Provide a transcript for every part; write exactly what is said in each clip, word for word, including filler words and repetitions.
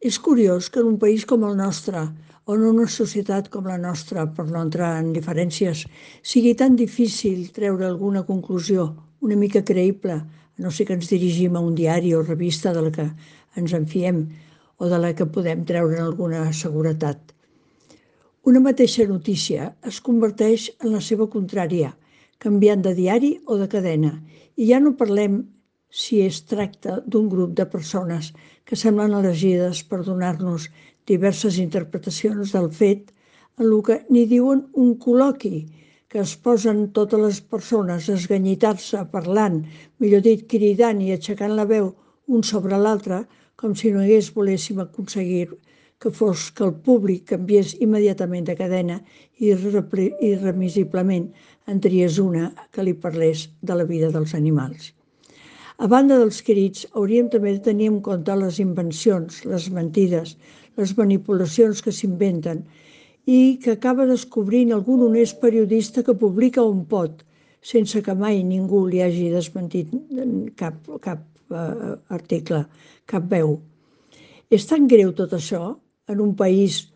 És curiós que en un país com el nostre, o en una societat com la nostra, per no entrar en diferències, sigui tan difícil treure alguna conclusió una mica creïble, a no ser que ens dirigim a un diari o revista de la que ens en fiem o de la que podem treure alguna seguretat. Una mateixa notícia es converteix en la seva contrària, canviant de diari o de cadena, i ja no parlem si es tracta d'un grup de persones que semblen elegides per donar-nos diverses interpretacions del fet, en el que ni diuen un col·loqui, que es posen totes les persones a esganyitar-se parlant, millor dit, cridant i aixecant la veu un sobre l'altre, com si no hagués voléssim aconseguir que fos que el públic canviés immediatament de cadena i irremisiblement en triés una que li parlés de la vida dels animals. A banda dels crits, hauríem també de tenir en compte les invencions, les mentides, les manipulacions que s'inventen i que acaba descobrint algun honest periodista que publica on pot, sense que mai ningú li hagi desmentit cap, cap eh, article, cap veu. És tan greu tot això en un país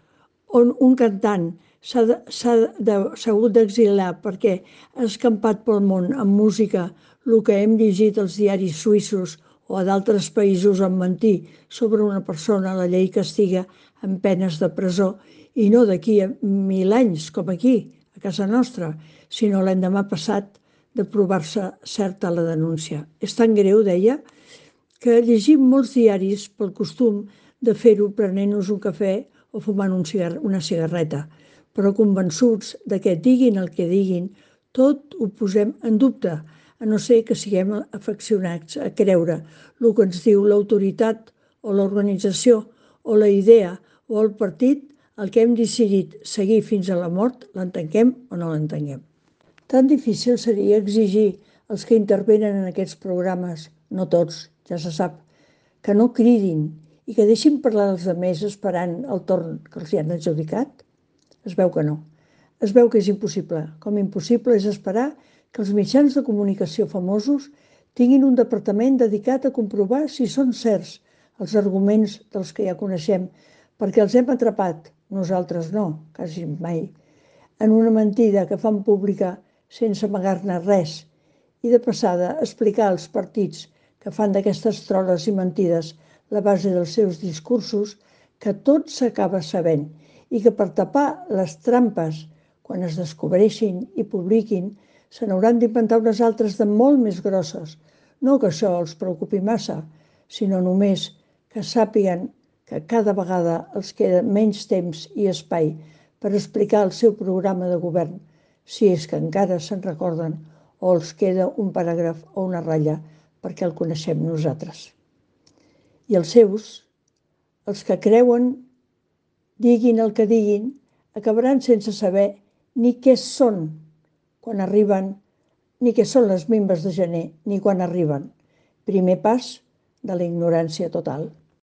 on un cantant s'ha hagut d'exilar perquè ha escampat pel món amb música el que hem llegit als diaris suïssos o a d'altres països en mentir sobre una persona, la llei castiga amb penes de presó, i no d'aquí a mil anys, com aquí, a casa nostra, sinó l'endemà passat de provar-se certa la denúncia. És tan greu, deia, que llegim molts diaris pel costum de fer-ho prenent-nos un cafè o fumant un cigar una cigarreta, però convençuts de que diguin el que diguin, tot ho posem en dubte, a no ser que siguem afeccionats a creure el que ens diu l'autoritat o l'organització o la idea o el partit, el que hem decidit seguir fins a la mort, l'entenguem o no l'entenguem. Tan difícil seria exigir als que intervenen en aquests programes, no tots, ja se sap, que no cridin i que deixin parlar els altres esperant el torn que els hi han adjudicat? Es veu que no. Es veu que és impossible, com impossible és esperar que els mitjans de comunicació famosos tinguin un departament dedicat a comprovar si són certs els arguments dels que ja coneixem, perquè els hem atrapat, nosaltres no, quasi mai, en una mentida que fan pública sense amagar-ne res, i de passada explicar als partits que fan d'aquestes troles i mentides la base dels seus discursos que tot s'acaba sabent i que per tapar les trampes, quan es descobreixin i publiquin, se n'hauran d'inventar unes altres de molt més grosses. No que això els preocupi massa, sinó només que sàpiguen que cada vegada els queda menys temps i espai per explicar el seu programa de govern, si és que encara se'n recorden, o els queda un paràgraf o una ratlla perquè el coneixem nosaltres. I els seus, els que creuen, diguin el que diguin, acabaran sense saber ni què són quan arriben, ni què són les mimbes de gener, ni quan arriben. Primer pas de la ignorància total.